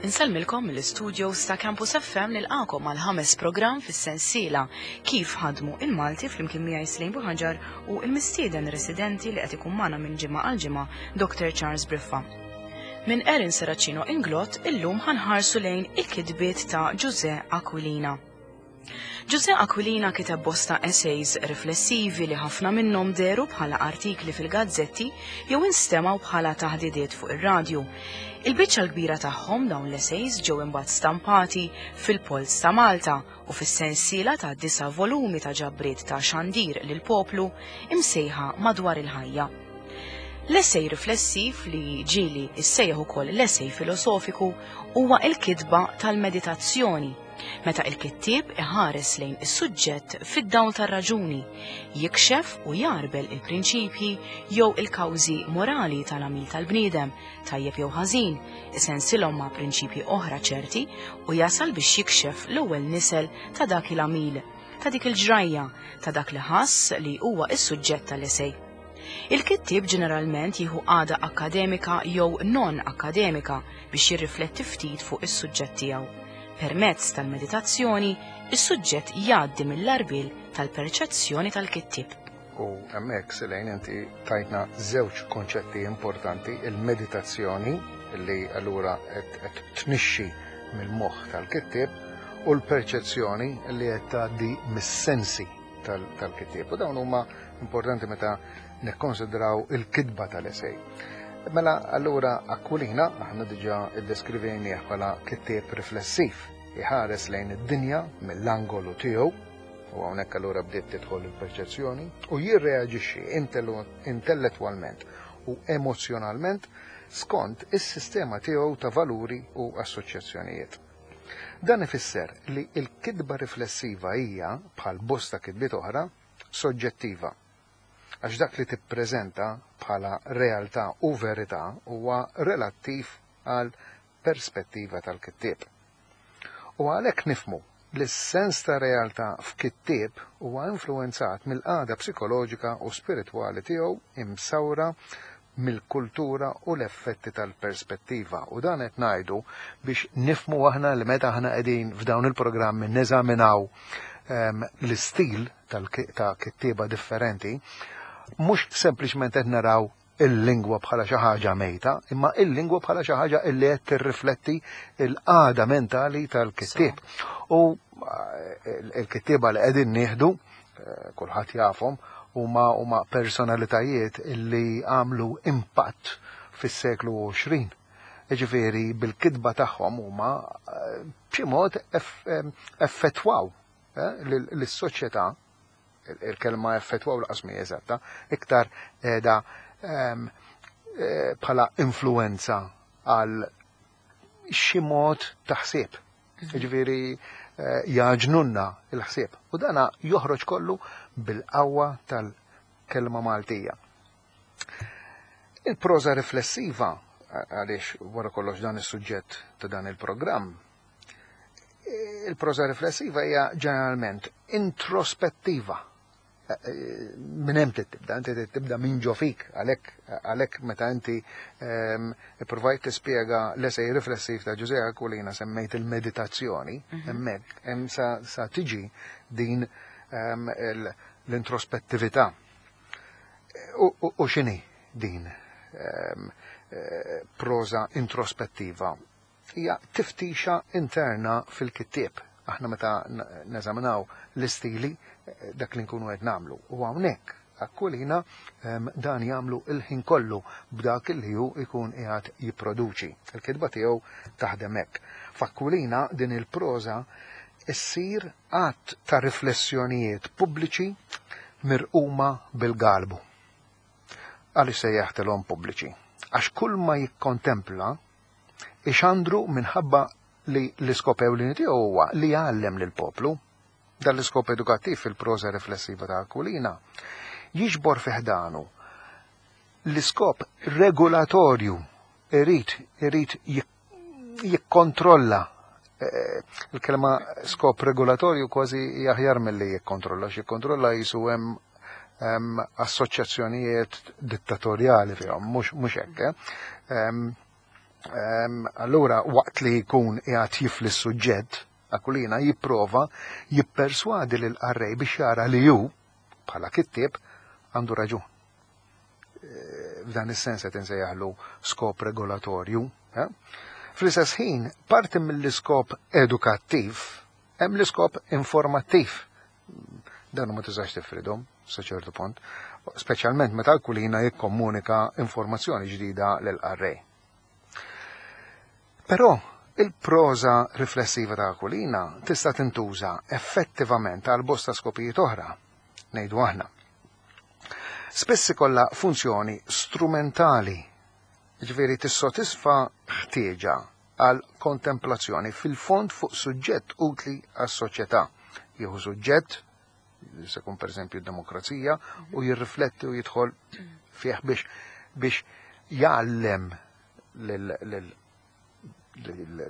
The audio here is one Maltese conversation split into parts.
Insellmilkom mill-istudios ta' Campus FM nilqakom għal ħames programm fis-sensiela Kif ħadmu il-Malti flimkien miegħi Slejn Buħaġar u l-mistieden residenti li qed ikun magħna minn ġimgħa għal ġimgħa Dr. Charles Briffa. Minn Erin Serracino Inglott illum ħanħarsu lejn il-kitbiet ta' Ġużè Aquilina. Ġużè Aquilina kiteb bosta essays riflessivi li ħafna minnhom dehru bħala artikli fil-gazzetti jew instemgħu bħala taħdidiet fuq ir-radju. Il-biċċa l-kbira tagħhom dawn l-essays ġew imbagħad stampati fil-Polz ta' Malta u fis-sensiela ta' disa' volumi ta' ġabriet ta' xandir lill-poplu imsejħa Madwar il-Ħajja. L-essay riflessiv li ġieli issejjaħ ukoll l-essay filosofiku huwa l-kitba tal-meditazzjoni Meta il-kittieb iħares lejn is-suġġett fid-dawl tar-raġuni, jikxef u jgħarbel il-prinċipji jew il-kawżi morali tal-għamil tal-bniedem, tajjeb jew ħażin, isensilhom ma' prinċipji oħra ċerti u jasal biex jikxef l-ewwel nisel ta' dak il-għamil, ta' dik il-ġrajja, ta' dak li ħass li huwa s-suġġett tal-esej. Il-kittieb ġeneralment jieħu qagħda akkademika jew non-akkademika biex jirrifletti ftit fuq is-suġġett tiegħu. Permezz tal-meditazzjoni, is-suġġett jgħaddi mill-għarbiel tal-perċezzjoni tal-kittieb. U hemmhekk, Selene, inti tajtna żewġ konċetti importanti, il-meditazzjoni, li allura qed tnixxi mill-moħħ tal-kittieb, u l-perċezzjoni li qed tgħaddi mis-sensi tal-kittieb. U dawn huma importanti meta nikkonsidraw il-kitba tal-esej. Mela allura Aquilina aħna diġà iddeskrivejnieh bħala kittieb riflessiv, iħares lejn id-dinja mill-angolu tiegħu, u hawnhekk allura bdiet tidħol il-perċezzjoni, u jirreaġixxi intellettwalment u emozzjonalment skont is-sistema tiegħu ta' valuri u assoċjazzjonijiet. Dan ifisser li l-kitba riflessiva hija, bħal bosta kitbiet oħra, soġġettiva. Għax dak li tippreżenta bħala realtà u verità huwa relattiv għal perspettiva tal-kittieb. U għalhekk nifhmu li s-sens ta' realtà f'kittieb huwa influwenzat mill-qagħda psikoloġika u spiritwali tiegħu imsawra mill-kultura u l-effetti tal-perspettiva. U dan qed ngħidu biex nifhmu aħna li meta aħna qegħdin f'dawn il-programmi neżaminaw ehm, l-istil ta' kittieba differenti, mhux sempliċement qed naraw il-lingwa bħala xi ħaġa mejta, imma il-lingwa bħala xi ħaġa li qed tirrifletti l-qagħda mentali tal-kittieb. U eh, il-kittieba li qegħdin nieħdu, eh, kulħadd jafhom, huma huma personalitajiet illi għamlu impatt fis-seklu 20. Jiġifieri bil-kitba tagħhom huma eh, b'xi mod effettwaw eh, lis-soċjetà il-kelma effettwaw laqas mi eżatta, iktar qiegħda ehm, eh, bħala influenza għal xi mod ta' ħsieb. Jiġifieri eh, jaġnunna il-ħsieb. U dana joħroġ kollu bil-qawwa tal-kelma Maltija. Il-proża riflessiva, għaliex wara kollox dan is-suġġett ta' dan il-programm, il-proża riflessiva hija ġeneralment introspettiva minn hemm tibda, inti tibda minn ġo fik, għalhekk għalhekk meta inti ehm, ippruvajt tispjega l-esej riflessiv ta' Ġużè Aquilina semmejt il-meditazzjoni, mhm. hemmhekk hemm sa tiġi din ehm, l-introspettività. U x'inhi din ehm, eh, proża introspettiva? Hija tiftixa interna fil-kittieb. Aħna meta neżaminaw l-istili, dak li nkunu qed nagħmlu. U hawnhekk Aquilina dan jagħmlu l-ħin kollu b'dak li hu jkun qiegħed jipproduċi. Il-kitba tiegħu taħdem hekk. F'Aquilina din il-proża ssir għadd ta' riflessjonijiet pubbliċi mirquma bil-galbu. Għaliex sejjaħtilhom pubbliċi? Għax kulma jikkontempla ixandru minħabba li l-iskop ewlieni tiegħu huwa li jgħallem lill-poplu. Dan l-iskop edukattiv fil-proża riflessiva ta' Aquilina jiġbor fi ħdanu l-iskop regolatorju irid irid jikkontrolla eh, il-kelma skop regolatorju kważi aħjar milli jikkontrolla, x'jikkontrolla jisu hemm assoċjazzjonijiet dittatorjali fihom, mhux hekk. Eh. Allura waqt li jkun qiegħed jifli s-suġġett, Aquilina jipprova jipperswadi lil qarrej biex jara li hu, bħala kittieb, għandu raġun. F'dan is-sens qed insejjaħlu skop regolatorju. Eh? Fl-istess ħin, parti mill-iskop edukattiv hemm l-iskop informattiv. Dan ma tistax tifridhom sa ċertu punt, speċjalment meta l-kulina jikkomunika informazzjoni ġdida lil qarrej. Però il-proża riflessiva ta' Aquilina tista' tintuża effettivament għal bosta skopijiet oħra, ngħidu aħna. Spiss ikollha funzjoni strumentali, jiġifieri tissodisfa ħtieġa għal kontemplazzjoni fil-fond fuq suġġett utli għas-soċjetà. Jieħu suġġett, se jkun pereżempju d-demokrazija, u jirrifletti u jidħol fih biex biex jgħallem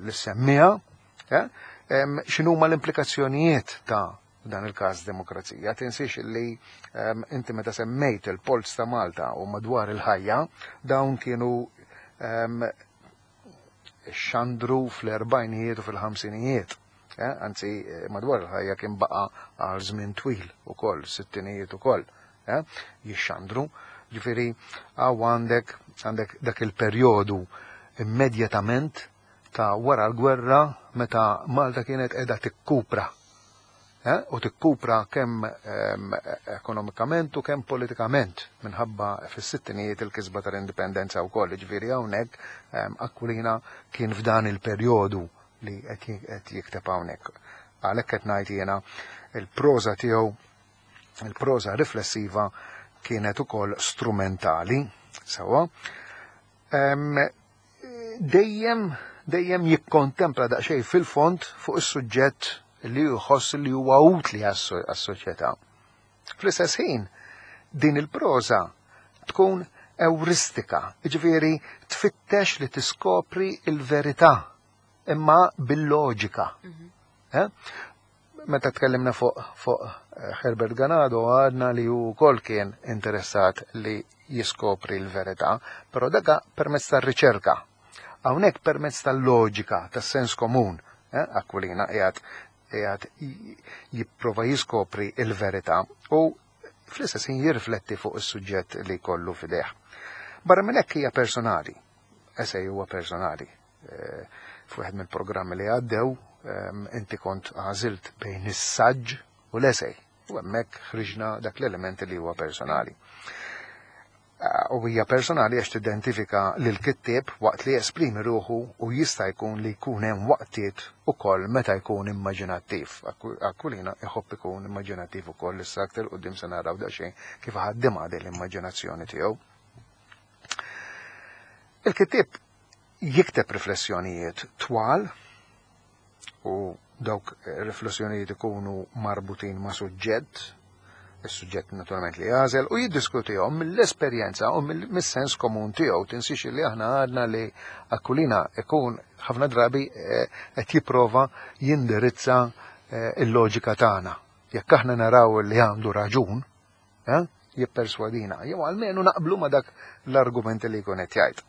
l-semmija eh, x'inhuma l-implikazzjonijiet ta' dan il-każ demokrazija. Tinsiex li inti meta semmejt il-Polz ta' Malta u madwar il-ħajja, dawn kienu xandru fl-erbajnijiet u fil-ħamsinijiet. Eh, anzi, eh, madwar il-ħajja kien baqa għal żmien twil ukoll, sittinijiet ukoll, eh, jixxandru. Ġifieri għaw għandek għandek dak il-perjodu immedjatament ta' wara l-gwerra meta Malta kienet qiegħda tikkupra Eh, u tikkupra kemm ehm, ekonomikament u kemm politikament minħabba fis-sittinijiet il-kisba tal-indipendenza wkoll. Ġifieri hawnhekk ehm, Aquilina kien f'dan il-perjodu li qed jikteb hawnhekk. Għalhekk qed ngħid jiena il-proża tiegħu il-proża riflessiva kienet ukoll strumentali, sewwa. Ehm, dejjem dejjem jikkontempla daqsxejn fil-fond fuq is-suġġett li jħoss li huwa utli għas-soċjetà. Fl-istess ħin, din il-proża tkun ewristika, jiġifieri tfittex li tiskopri il-verità imma bil-loġika. Mhm. Eh? Meta tkellimna fuq fuq eh, Herbert Ganado għadna li hu wkoll kien interessat li jiskopri l-verità, però daka permezz tar-riċerka. Hawnhekk permezz tal-loġika, tas-sens komun, eh, Aquilina qiegħed qiegħed jipprova jiskopri l-verità u fl-istess ħin jirrifletti fuq is-suġġett li jkollu f'idejh. Barra minn hekk hija personali, esej huwa personali. Eh, f'wieħed mill-programmi li għaddew ehm, inti kont għażilt bejn is-saġġ u l-esej. U hemmhekk ħriġna dak l-element li huwa personali. Eh, u hija personali għax tidentifika lil kittieb waqt li jesprimi ruħu u jista' jkun li jkun hemm waqtiet ukoll meta jkun immaġinattiv. Aquilina iħobb ikun immaġinattiv ukoll issa aktar quddiem se naraw daqsxejn kif ħaddimha din l-immaġinazzjoni tiegħu. Il-kittieb jikteb riflessjonijiet twal u dawk riflessjonijiet ikunu marbutin ma' suġġett, is-suġġett naturalment li jagħżel u jiddiskutihom mill-esperjenza u mis-sens komun tiegħu. Tinsiex li aħna għadna li Aquilina ikun ħafna drabi eh, qed jipprova jindirizza eh, il-loġika tagħna. Jekk aħna naraw li għandu raġun, eh, jipperswadina, jew almenu naqblu ma' dak l-argument li jkun qed jgħid.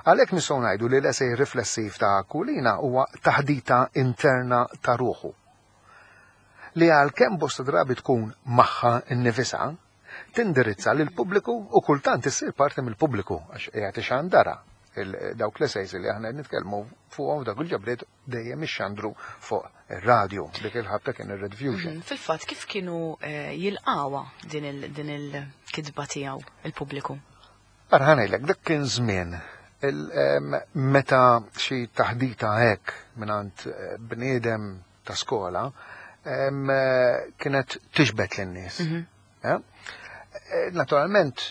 Għalhekk nistgħu ngħidu li l-esej riflessiv ta' Aquilina huwa taħdita interna ta' ruħu. Li għalkemm bosta drabi tkun magħha nnifisha, tindirizza lil pubbliku u kultant issir parti mill-pubbliku għax qiegħed ixandara dawk l-essays li aħna nitkellmu fuqhom f'dawk il-ġabriet dejjem ixxandru fuq ir-radju, dik il-ħabta kien ir-Red Fusion. Mhm, fil-fatt kif kienu eh, jilqawa din il-kitba tiegħu il-pubbliku? Ara ħanejlek, dak kien żmien meta xi taħdita hekk mingħand eh, bniedem ta' skola eh, kienet tiġbed lin-nies. Mhm. Naturalment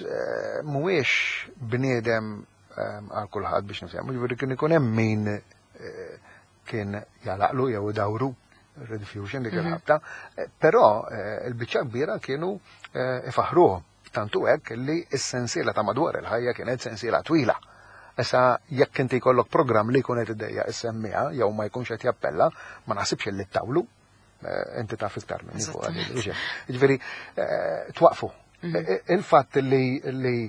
mhuwiex bniedem għal kulħadd biex nifhem, ġifieri kien ikun hemm min eh, kien jalaqlu jew dawru Red Fusion dik mhm. il-ħabta, eh, però eh, il-biċċa kbira kienu ifaħruhom. Tantu hekk li s-sensiela ta' madwar il-ħajja kienet sensiela twila. Issa jekk inti jkollok programm li jkun qed iddejja is-semmiha jew ma jkunx qed jappella, ma naħsibx li ttawlu. Inti taf iktar minni fuq Ġifieri twaqfu. Mhm. Il-fatt li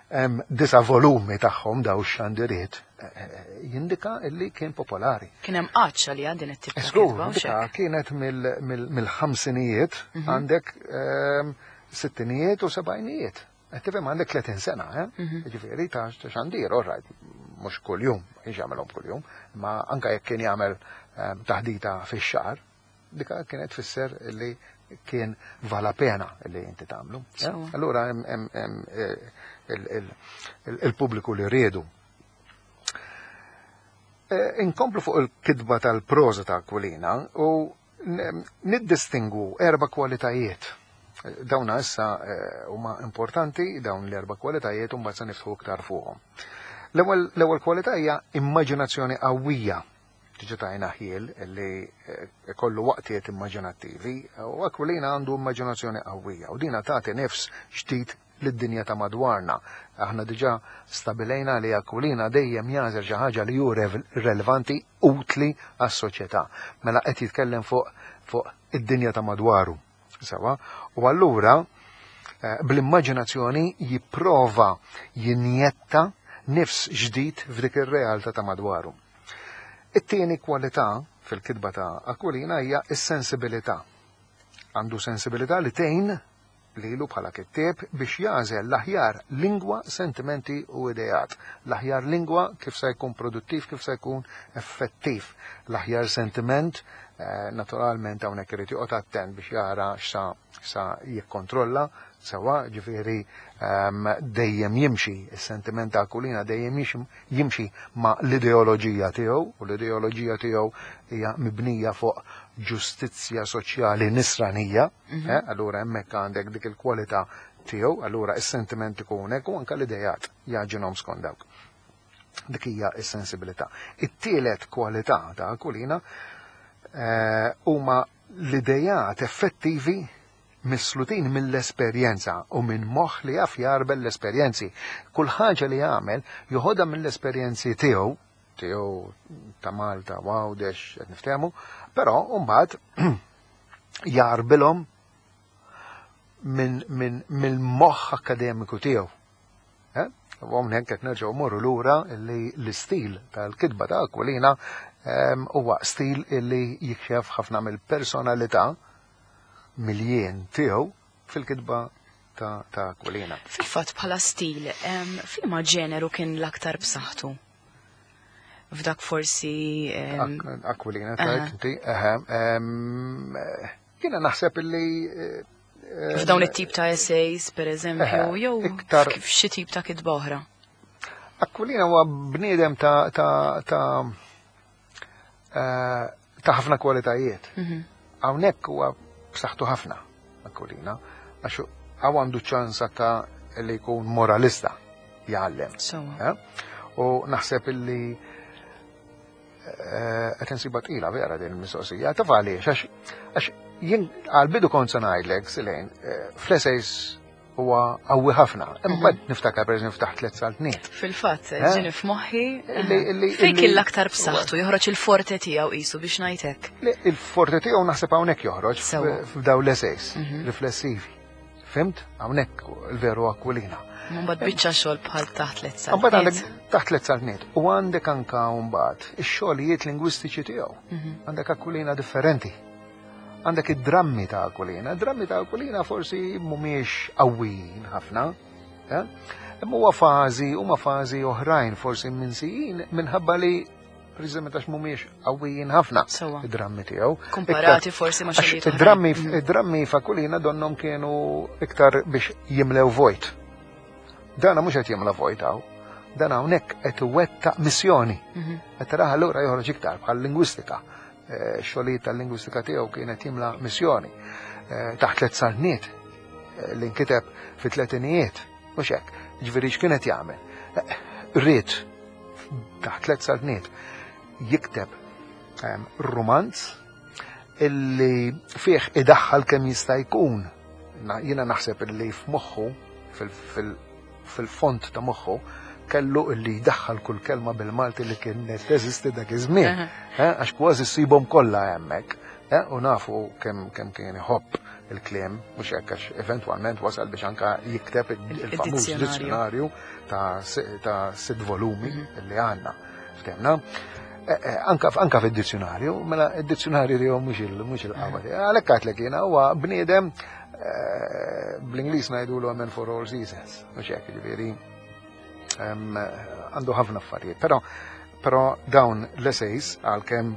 hemm disa' volumi tagħhom daw x-xandiriet eh, eh, jindika illi kien popolari. Kien hemm għatx għaliha din it-tip ta' kitba. Dika kienet mill-ħamsinijiet għandek sittinijiet u sebgħinijiet. Qed tifhem għandek 30 sena, eh? Ġifieri ta' xandir, all right, mhux kuljum, ma kienx jagħmelhom kuljum, ma anke jekk kien jagħmel taħdita fix-xahar, dika kienet tfisser li kien vala pena li inti tagħmlu. Eh? Allura hemm eh, il-pubbliku li riedu. Eh, inkomplu fuq il-kitba tal-proża ta' Aquilina u niddistingwu erba' kwalitajiet. Dawna issa huma importanti, dawn l-erba' kwalitajiet u mbagħad se niftħu iktar fuqhom. L-ewwel kwalità hija immaġinazzjoni qawwija. Diġa tajna ħjiel li eh, kollu waqtiet immaġinattivi u Aquilina għandu immaġinazzjoni qawwija u dina tagħti nifs ġdid lid-dinja ta' madwarna. Aħna diġa stabilejna li Aquilina dejjem jagħżel xi ħaġa li hu relevanti, utli għas-soċjetà. Mela qed jitkellem fuq fuq id-dinja ta' madwaru. Sewa, u allura eh, bl-immaġinazzjoni jipprova jinjetta nifs ġdid f'dik ir-realtà ta' madwaru. It-tieni kwalità fil-kitba ta' Aquilina hija s-sensibilità. Għandu sensibilità li tgħin lilu bħala kittieb biex jagħżel l-aħjar lingwa, sentimenti u ideat. L-aħjar lingwa kif se jkun produttiv, kif se jkun effettiv. L-aħjar sentiment, eh, naturalment hawnhekk irid joqgħod attent biex jara x'sa sa jikkontrolla sewa, ġifieri ehm, dejjem jimxi, is-sentiment ta' Aquilina dejjem jimxi ma' l-ideoloġija tiegħu, u l-ideoloġija tiegħu hija mibnija fuq ġustizzja soċjali nisranija, mm -hmm. allura hemmhekk għandek dik il-kwalità tiegħu, allura is-sentiment ikun hekk u anke l-idejat jaġinhom skont dawk. Dik hija s-sensibilità. It-tielet kwalità ta' Aquilina eh, huma l-idejat effettivi mislutin mill-esperjenza u minn moħħ li jaf jagħrbel l-esperjenzi. Kull ħaġa li jagħmel joħodha mill-esperjenzi tiegħu, tiegħu ta' Malta, Għawdex, qed niftehmu, però mbagħad jagħrbilhom minn mill-moħħ akkademiku tiegħu. Eh? U hawnhekk qed nerġgħu morru lura li l-istil tal-kitba ta' Aquilina ehm, huwa stil li jikxef ħafna mill-personalità mill-jien tiegħu fil-kitba ta', ta Aquilina. Fil-fatt bħala stil, ehm, f'liema ġeneru kien l-aktar b'saħħtu? F'dak forsi. Ehm, Aquilina, tajt inti, jiena naħseb illi eh, F'dawn it-tip ta' essays, per eżempju, jew iktar f'xi tip ta' kitba oħra. Aquilina huwa bniedem ta' ta' ta' eh, ta' ħafna kwalitajiet. Mhm. Hawnhekk huwa b'saħħtu ħafna Aquilina, għax hawn għandu ċans anka li jkun moralista jgħallem. Eh? U naħseb illi Eh, qed insiba tqila vera din il-mistoqsija. Taf għaliex, għax jien għal-bidu kont se ngħidlek, Silejn, eh, fl-essays huwa qawwi ħafna. Imma mhm. niftakar pereżempju ftaħ tliet saltniet. Fil-fatt, eh? ġini f'moħħi. Fejn kien l-aktar b'saħħtu joħroġ il-forte tiegħu qisu biex ngħidlek. Il-forte tiegħu naħseb hawnhekk joħroġ f'daw l-essays mhm. riflessivi. Fimt? Hawnhekk il-veru Aquilina. Mbagħad biċċa xogħol bħal taħt tliet saltniet. Mbagħad għandek taħt tliet saltniet u għandek anka mbagħad ix-xogħlijiet lingwistiċi tiegħu. Mhm. Għandek Aquilina differenti. Għandek id-drammi ta' Aquilina. Id-drammi ta' Aquilina forsi mhumiex qawwijin ħafna. Eh? Imma huwa fażi, huma fażi oħrajn forsi minsijin minħabba li preċiżament għax mhumiex qawwijin ħafna id-drammi tiegħu. Komparati forsi ma' xogħlijiet. Id-drammi mm. id-drammi fakulina donnom kienu iktar biex jimlew vojt. Dana mhux qed jimla vojt hawn. Dan hawnhekk qed iwettaq missjoni. Mhm. Qed taraha allura joħroġ iktar bħal lingwistika. Eh, xogħlijiet tal-lingwistika tiegħu kienet jimla missjoni. Eh, taħt tliet saltniet eh, li nkiteb fi tletinijiet, mhux hekk. Ġifieri x'kienet jagħmel? Ried taħt tliet saltniet jikteb ehm, rumanz illi fih idaħħal kemm jista' jkun. Jiena naħseb illi f'moħħu fil-font ta' moħħu kellu illi jdaħħal kull kelma bil-Malti li kienet teżisti dak iż-żmien. Eh, għax kważi ssibhom kollha hemmhekk. U nafu kemm kemm kien iħobb il-kliem, mhux hekk, għax eventwalment wasal biex anka jikteb il-famuż dizzjonarju ta' sitt volumi li għandna. Ftemna? Anka anka fid-dizzjonarju, mela id-dizzjonarju tiegħu mhux il-qawwa. Għalhekk għedtlek jiena huwa bniedem, bl-Ingliż ngħidulu man for all seasons, mhux hekk, ġifieri għandu ħafna affarijiet. Però dawn l-essays, għalkemm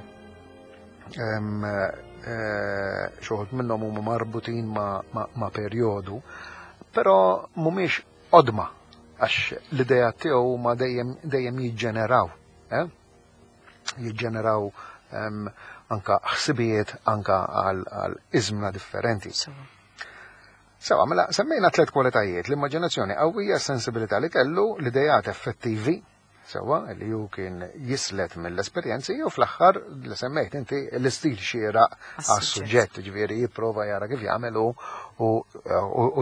xi wħud minnhom huma marbutin ma' perjodu, però mhumiex qodma għax l-idea tiegħu ma dejjem dejjem jiġġeneraw. Eh? Jiġġeneraw anka ħsibijiet anka għal iżmna differenti. Sewa, mela semmejna tliet kwalitajiet: l-immaġinazzjoni qawwija, sensibilità li kellu, l-idejat effettivi, sewa, li ju kien jislet mill-esperjenzi, u fl-aħħar li semmejt inti, l-istil xieraq għas-suġġett, ġifieri jipprova jara kif jagħmel u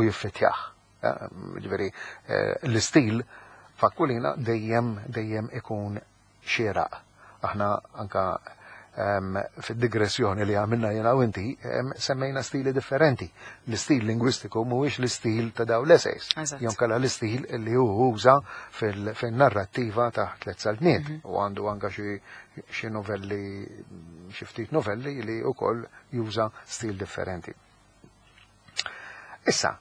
jiffitjah. Ġifieri l-istil f'Aquilina dejjem dejjem ikun xieraq. Aħna anka fid-digressjoni li għamilna jena u inti semmejna stili differenti. L-istil lingwistiku mhuwiex l-istil ta' daw l-essays. Jew inkella l-istil li hu uża fil-narrattiva ta' Tliet Saltniet. U għandu anka xi novelli, xi ftit novelli li wkoll juża stil differenti. Issa,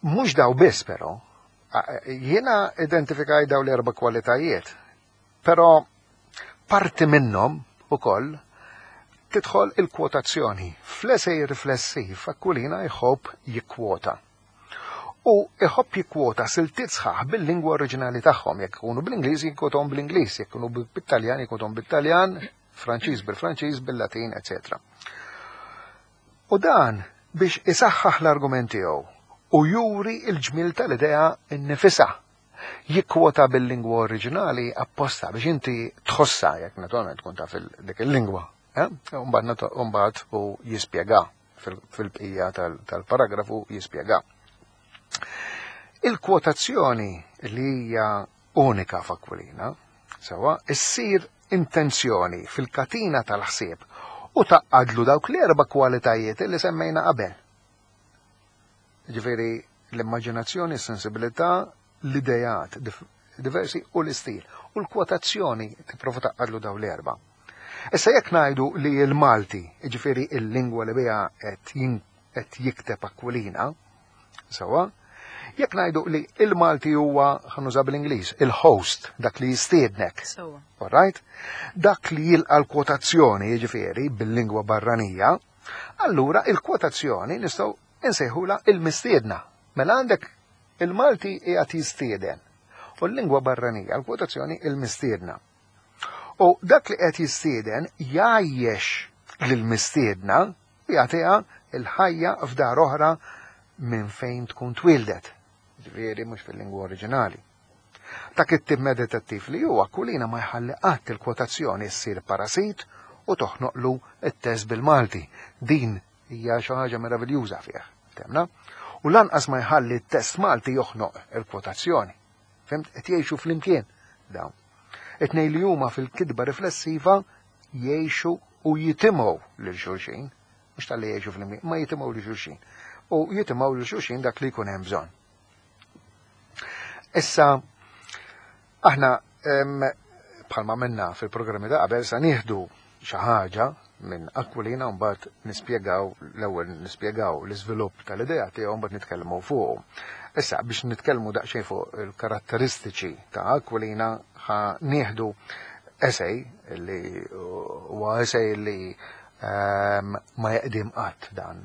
mhux daw biss però, jiena identifikaj daw l-erba' kwalitajiet, però parti minnhom ukoll tidħol il-kwotazzjoni. Fl-esej riflessiv Aquilina jħobb jikkwota. U iħobb jikkwota siltiet sħaħ bil-lingwa oriġinali tagħhom, jekk ikunu bl-Ingliż jikkwotom bl-Ingliż, jekk ikunu bit-Taljan jikkwotom bit-Taljan, Franċiż bil-Franċiż, bil-Latin, etc. U dan biex isaħħaħ l-argument tiegħu u juri il-ġmil tal-idea innifisha. Jikkwota bil-lingwa oriġinali apposta biex inti tħossa, jekk naturalment tkun taf dik il-lingwa. Eh? Mbagħad u jispjega fil-bqija tal-paragrafu jispjega. Il-kwotazzjoni li hija unika f'Aquilina, sewa, issir intenzjoni fil-katina tal-ħsieb u tgħaqqadlu dawk l-erba' kwalitajiet li semmejna qabel. Ġifieri l-immaġinazzjoni, s-sensibilità, l-idejat diversi u l-istil. U l-kwotazzjoni tipprova tgħaqqadlu daw l-erba'. Issa jekk ngħidu li l-Malti, ġifieri il-lingwa li biha qed jikteb Aquilina, sewa, jekk ngħidu li il-Malti huwa, ħa nuża bl-Ingliż, il-host, dak li jistiednek. All right? Dak li jilqa l-kwotazzjoni, jiġifieri bil-lingwa barranija, allura il-kwotazzjoni nistgħu insejħula il-mistiedna. Mela għandek il-Malti qiegħed jistieden u l-lingwa barranija, l-kwotazzjoni, il-mistiedna. U dak li qed jistieden jgħajjex lill-mistiedna u jagħtiha il-ħajja f'dar oħra minn fejn tkun twildet. Ġifieri mhux fil-lingwa oriġinali. Ta' kittib meditattiv li huwa, Aquilina ma jħalli qatt il-kwotazzjoni ssir parasit u toħnoqlu it-test bil-Malti. Din hija xi ħaġa meraviljuża fih, temna? U lanqas ma jħalli t-test Malti joħnoq il-kwotazzjoni. Fhimt? Qed jgħixu flimkien dawn. It-tnejn li huma fil-kitba riflessiva jgħixu u jitimgħu lil xulxin, mhux talli jgħixu flimkien, ma jitimgħu lil xulxin. U jitimgħu lil xulxin dak li jkun hemm bżonn. Issa, aħna bħalma minna fil-programmi ta' qabel sa nieħdu xi ħaġa minn Aquilina, mbagħad nispjegaw, l-ewwel nispjegaw l-iżvilupp tal-idea tiegħu, mbagħad nitkellmu fuq. Issa biex nitkellmu daqsxejn fuq il-karatteristiċi ta' Aquilina ħa nieħdu essay li huwa essay li ma jeqdim qatt dan,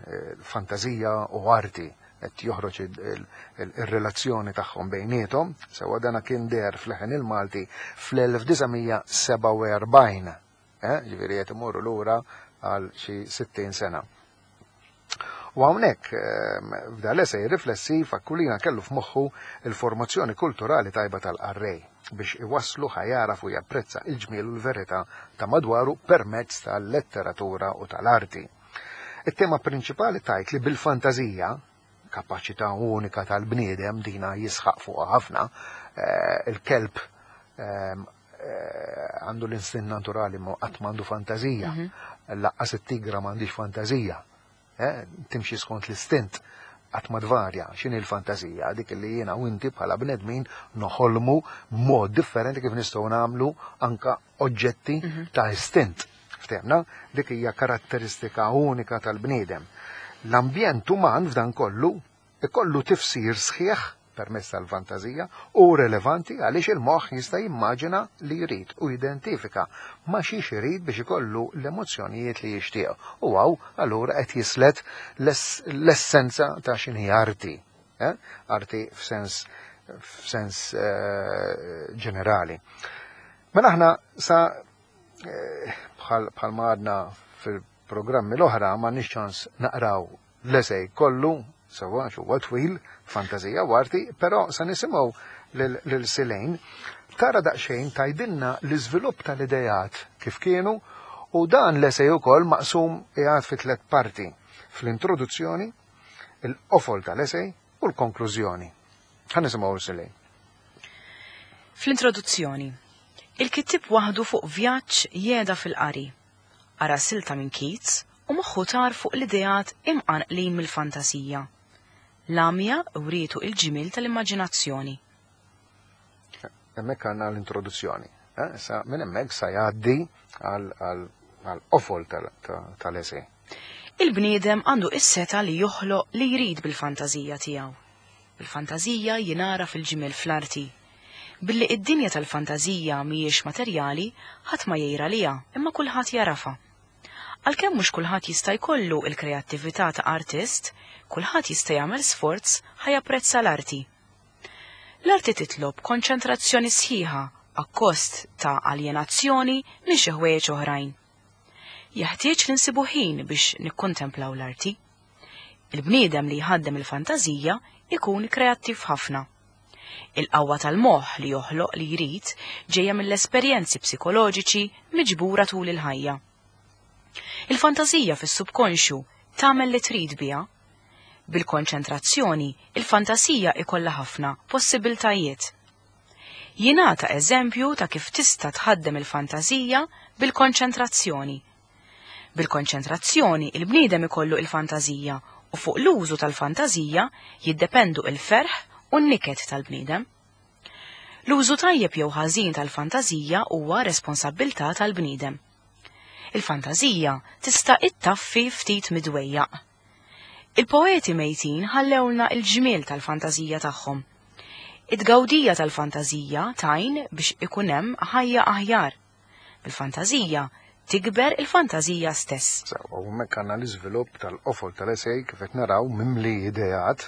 Fantazija u Arti, qed joħroġ il-relazzjoni tagħhom bejniethom, sewa, dana kien deher f'Leħen il-Malti fl-1947, ġifieri qed imorru lura għal xi 60 sena. U hawnhekk f'dan l-esej riflessiv Aquilina kellu f'moħħu il-formazzjoni kulturali tajba tal-qarrej biex iwasslu ħa jaraf u japprezza il-ġmiel u l-verità ta' madwaru permezz tal-letteratura u tal-arti. It-tema prinċipali tgħid li bil-fantażija, kapaċità unika tal-bniedem, dina jisħaq fuqha ħafna, il-kelb. għandu l-instint naturali ma qatt m'għandu fantażija. Lanqas it-tigra m'għandix fantażija. Timxi skont l-istint qatt ma tvarja. X'inhi l-fantażija? Dik li jiena u inti bħala bnedmin noħolmu mod differenti kif nistgħu nagħmlu anka oġġetti ta' istint. Ftehmna? Dik hija karatteristika unika tal-bniedem. L-ambjent uman f'dan kollu ikollu tifsir sħiħ permezz tal-fantażija u relevanti għaliex il-moħħ jista' jimmaġina li jrid u jidentifika ma' xiex irid biex ikollu l-emozzjonijiet li jixtieq. U hawn allura qed jislet l-essenza ta' x'inhi arti. Arti f'sens ġenerali. Mela aħna sa bħal ma għadna fil-programmi l-oħra ma ċans naqraw l-esej kollu, sewa huwa twil, fantażija u arti, però sa nisimgħu lil Silejn tara daqsxejn tgħidilna l-iżvilupp tal-idejat kif kienu u dan l-esej ukoll maqsum qiegħed fi tliet parti: fl-introduzzjoni, il-qofol tal-esej u l-konklużjoni. Ħa nisimgħu Silejn. Fl-introduzzjoni, il-kittib waħdu fuq vjaġġ jeda fil-qari. Qara silta minn Keats u moħħu tar fuq l-ideat imqanqlin mill-fantasija. L-għamja wrietu il-ġimil tal-immaġinazzjoni. Hemmhekk għandna l-introduzzjoni. Sa minn hemmhekk sa jgħaddi għal qofol tal-esej. Il-bniedem għandu is-seta li joħloq li jrid bil-fantażija tiegħu. Bil-fantażija jinara fil-ġimel fl-arti. Billi id-dinja tal-fantażija mhijiex materjali, ħadd ma jgħira liha, imma kulħadd jarafa. Għalkemm mhux kulħadd jista' jkollu il-kreattività ta' artist, kulħadd jista' jagħmel sforz ħa japprezza l-arti. L-arti titlob konċentrazzjoni sħiħa akkost ta' aljenazzjoni minn xi ħwejjeġ oħrajn. Jeħtieġ li nsibu ħin biex nikkontemplaw l-arti. Il-bniedem li jħaddem il-fantażija ikun kreattiv ħafna. Il-qawwa tal-moħħ li joħloq li jrid ġejja mill-esperjenzi psikoloġiċi miġbura tul il-ħajja. Il-fantażija fis-subkonxju tagħmel li trid biha. Bil-konċentrazzjoni, il-fantasija ikollha ħafna possibiltajiet. Jingħata eżempju ta' kif tista' tħaddem il-fantażija bil-konċentrazzjoni. Bil-konċentrazzjoni, il-bniedem ikollu il-fantażija u fuq l-użu tal-fantażija jiddependu il-ferħ u n-niket tal-bniedem. L-użu tajjeb jew ħażin tal-fantażija huwa responsabbiltà tal-bniedem. Il-fantażija tista' ittaffi ftit midwejjaq. Il-poeti mejtin ħallewlna il-ġmiel tal-fantażija tagħhom. It-tgawdija tal-fantażija tgħin biex ikun hemm ħajja aħjar. Bil-fantażija tikber il-fantażija stess. Sewa, u hemmhekk għandna l-iżvilupp tal-qofol tal-esej kif qed naraw mimli ideat,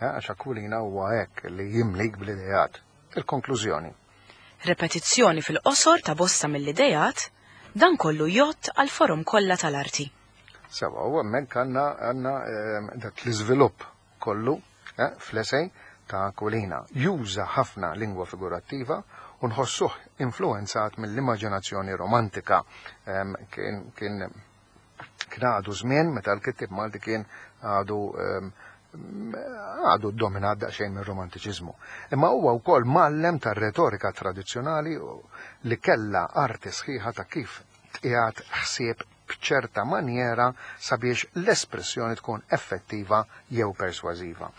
għax Aquilina huwa hekk li jimlik bl-ideat. Il-konklużjoni. Repetizzjoni fil-qosor ta' bosta mill-idejat, dan kollu jgħodd għal forom kollha tal-arti. Sewa, u hemmhekk għandna dak l-iżvilupp kollu fl-esej ta' Aquilina. Juża ħafna lingwa figurattiva u nħossuh influenzat mill-immaġinazzjoni romantika. Kien għadu żmien meta l-kittib Malti kien għadu dominat daqsxejn mir-romantiċiżmu. Imma huwa wkoll mgħallem tar-retorika tradizzjonali li kellha arti sħiħa ta' kif tqiegħed ħsieb b'ċerta manjera sabiex l-espressjoni tkun effettiva jew persważiva.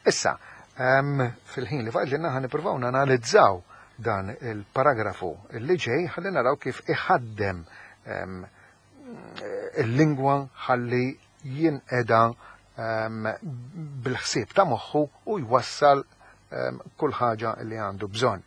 Issa, fil-ħin li fadlilna ħa nippruvaw nanalizzaw dan il-paragrafu li ġej ħalli naraw kif iħaddem il-lingwa ħalli jinqeda bil-ħsieb ta' moħħu u jwassal kull ħaġa li għandu bżonn.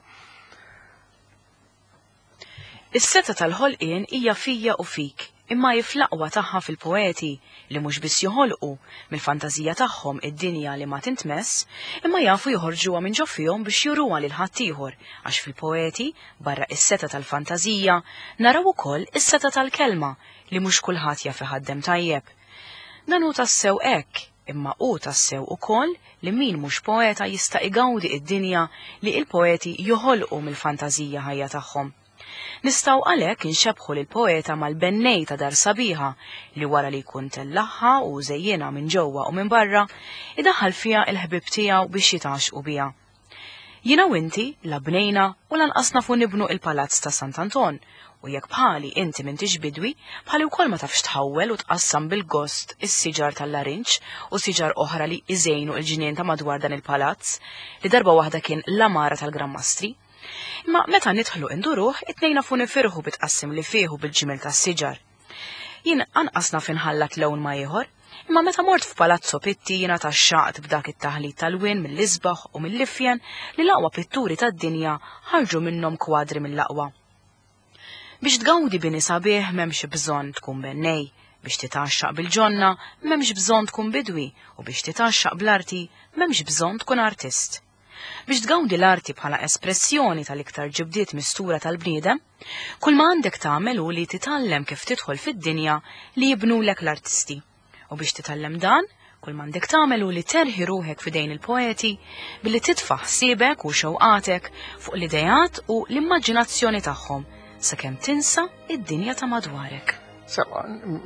Is-seta tal-ħolqien hija fija u fik, imma hi fl-aqwa tagħha fil-poeti li mhux biss joħolqu mill-fantażija tagħhom id-dinja li ma tintmess, imma jafu joħorġuha minn ġo fihom biex juruha lil ħaddieħor, għax fil-poeti, barra is-seta tal-fantażija, naraw ukoll is-seta tal-kelma li mhux kulħadd jaf iħaddem tajjeb. Dan hu tassew hekk, imma hu tassew ukoll li min mhux poeta jista' igawdi id-dinja li il-poeti joħolqu mill-fantażija ħajja tagħhom. Nistgħu għalhekk inxebħu lil poeta mal-bennej ta' dar sabiħa li wara li jkun tellaħħa u żejjinha minn ġewwa u minn barra, idaħħal fiha il-ħbib tiegħu biex jitgħaxqu biha. Jiena u inti la bnejna u lanqas nafu nibnu il-palazz ta' Sant'Anton, u jekk bħali inti m'intix bidwi, bħali wkoll ma tafx tħawwel u tqassam bil-gost is-siġar tal-larinġ u siġar oħra li iżejnu l-ġnien ta' madwar dan il-palazz, li darba waħda kien l-għamara tal-Gran Mastri. Imma meta nidħlu induruh, it-tnejn nafu nifirħu bit-tqassim li fih u bil-ġmiel tas-siġar. Jien anqas naf inħallat lewn ma' ieħor, imma meta mort f'Palazzo Pitti jiena tgħaxxaqt b'dak it-taħlit ta' lwien mill-isbaħ u mill-ifjen li l-aqwa pitturi tad-dinja ħarġu minnhom kwadri mill-aqwa. Biex tgawdi bini sabiħ m'hemmx bżonn tkun bennej, biex titgħaxxaq bil-ġonna m'hemmx bżonn tkun bidwi u biex titgħaxxaq bl-arti m'hemmx bżonn tkun artist. Biex tgawdi l-arti bħala espressjoni tal-iktar ġibdiet mistura tal-bniedem, kull ma għandek tagħmel hu li titgħallem kif tidħol fid-dinja li jibnulek l-artisti. U biex titgħallem dan, kull ma għandek tagħmel hu li terħi ruħek f'idejn il-poeti billi titfa' ħsiebek u xewqatek fuq l-ideat u l-immaġinazzjoni tagħhom sakemm tinsa id-dinja ta' madwarek. Sewa,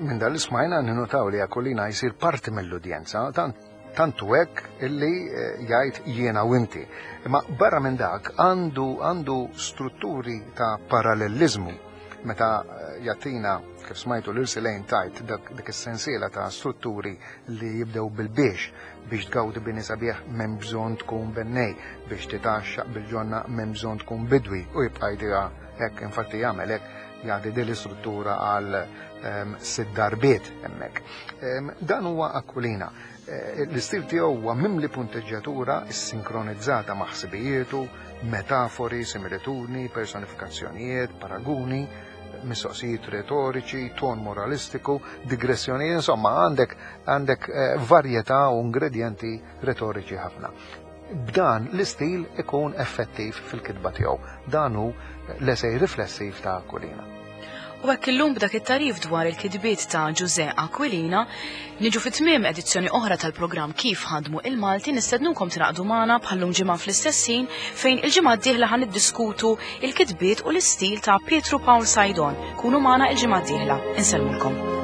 minn dan li smajna ninnotaw li Aquilina jsir parti mill-udjenza, tant Tant hu hekk illi eh, jgħid jiena u inti. Imma barra minn dak għandu għandu strutturi ta' parallelliżmu meta eh, jagħtina kif smajtu lil Silejn tajt dak dik is-sensiela ta' strutturi li jibdew bil-biex biex tgawdi bini sabiħ m'hemm bżonn tkun bennej, biex titgħaxxaq bil-ġonna m'hemm bżonn tkun bidwi u jibqa' jdiha hekk infatti jagħmel hekk jagħti din l-istruttura għal ehm, sitt darbiet hemmhekk. Ehm, dan huwa Aquilina. Eh, l-istil tiegħu huwa mimli punteġġjatura ssinkronizzata ma' ħsibijietu, metafori, similitudni, personifikazzjonijiet, paraguni, mistoqsijiet retoriċi, ton moralistiku, digressjonijiet, insomma għandek għandek eh, varjetà u ingredjenti retoriċi ħafna. B'dan l-istil ikun effettiv fil-kitba tiegħu. Dan hu l-esej riflessiv ta' Aquilina. U hekk illum b'dak it-tagħrif dwar il-kitbiet ta' Ġużè Aquilina, niġu fi tmiem edizzjoni oħra tal-programm Kif ħadmu il-Malti nistednukom tingħaqdu magħna bħallum ġimgħa fl-istess ħin fejn il-ġimgħa d-dieħla ħa niddiskutu il-kitbiet u l-istil ta' Pietru Pawl Saydon. Kunu magħna il-ġimgħa d-dieħla. Insellmulkom.